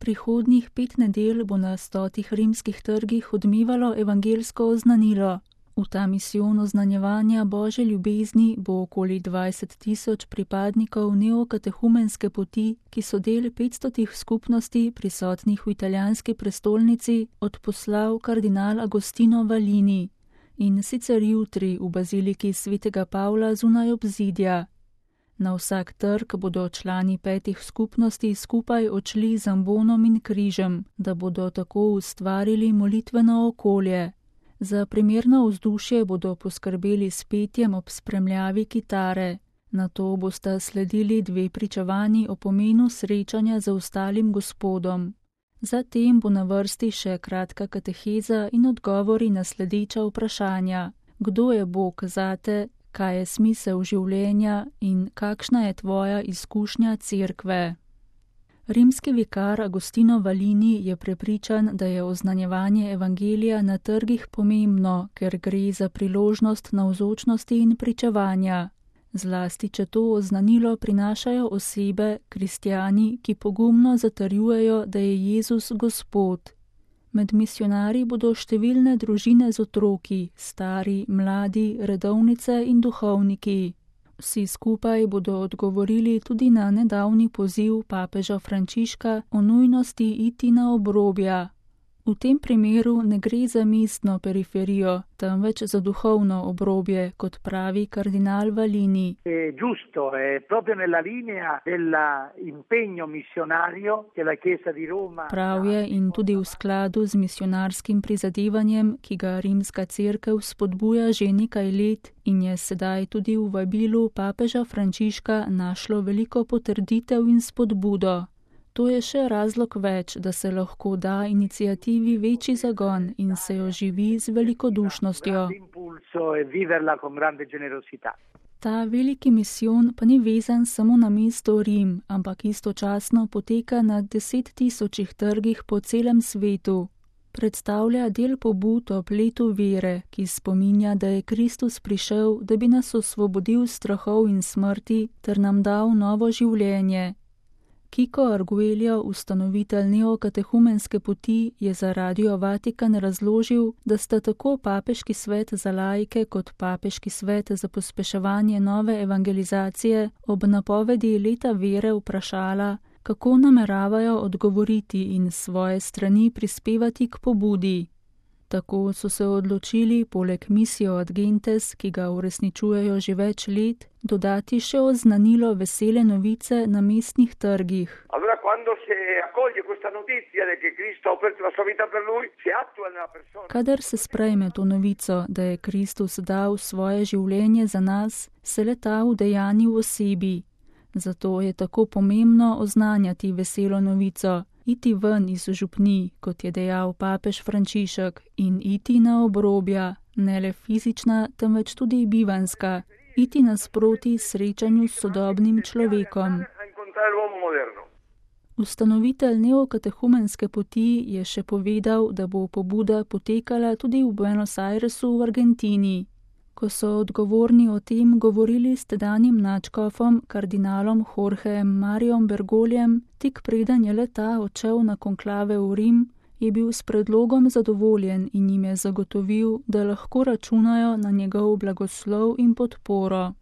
Prihodnjih 5 nedelj bo na 100 rimskih trgih odmevalo evangelsko oznanilo. V ta misijon oznanjevanja Božje ljubezni bo okoli 20.000 pripadnikov neokatehumenske poti, ki so del 500 skupnosti prisotnih v italijanski prestolnici, odposlal kardinal Agostino Valini, in sicer jutri v baziliki svetega Pavla zunaj obzidja. Na vsak trg bodo člani 5 skupnosti skupaj odšli z ambonom in križem, da bodo tako ustvarili molitveno okolje. Za primerno vzdušje bodo poskrbeli s petjem ob spremljavi kitare. Nato bosta sledili 2 pričevanji o pomenu srečanja z ostalim Gospodom. Zatem bo na vrsti še kratka kateheza in odgovori na sledeča vprašanja. Kdo je Bog zate, kaj je smisel življenja in kakšna je tvoja izkušnja cerkve? Rimski vikar Agostino Valini je prepričan, da je oznanjevanje evangelija na trgih pomembno, ker gre za priložnost navzočnosti in pričevanja. Zlasti, če to oznanilo prinašajo osebe, kristjani, ki pogumno zatrjujejo, da je Jezus Gospod. Med misionarji bodo številne družine z otroki, stari, mladi, redovnice in duhovniki. Vsi skupaj bodo odgovorili tudi na nedavni poziv papeža Frančiška o nujnosti iti na obrobja. V tem primeru ne gre za mestno periferijo, temveč za duhovno obrobje, kot pravi kardinal Valini. Prav je in tudi v skladu z misionarskim prizadevanjem, ki ga rimska cerkev spodbuja že nekaj let in je sedaj tudi v vabilu papeža Frančiška našlo veliko potrditev in spodbudo. To je še razlog več, da se lahko da iniciativi večji zagon in se jo živi z velikodušnostjo. Ta veliki misijon pa ni vezan samo na mesto Rim, ampak istočasno poteka na 10.000 trgih po celem svetu. Predstavlja del pobud ob letu vere, ki spominja, da je Kristus prišel, da bi nas osvobodil strahov in smrti ter nam dal novo življenje. Kiko Arguello, ustanovitelj neokatehumenske poti, je za Radio Vatikan razložil, da sta tako Papeški svet za laike kot Papeški svet za pospeševanje nove evangelizacije ob napovedi leta vere vprašala, kako nameravajo odgovoriti in s svoje strani prispevati k pobudi. Tako so se odločili poleg Missio ad Gentes, ki ga uresničujejo že več let, dodati še oznanilo vesele novice na mestnih trgih. Kadar se sprejme to novico, da je Kristus dal svoje življenje za nas, se le-ta udejani v osebi. Zato je tako pomembno oznanjati veselo novico, iti ven iz župnij, kot je dejal papež Frančišek, in iti na obrobja, ne le fizična, temveč tudi bivanska, iti nasproti srečanju s sodobnim človekom. Ustanovitelj neokatehumenske poti je še povedal, da bo pobuda potekala tudi v Buenos Airesu v Argentini. Ko so odgovorni o tem govorili s tedanjim nadškofom, kardinalom Jorgejem Mariom Bergoljem, tik preden je le-ta odšel na konklave v Rim, je bil s predlogom zadovoljen in jim je zagotovil, da lahko računajo na njegov blagoslov in podporo.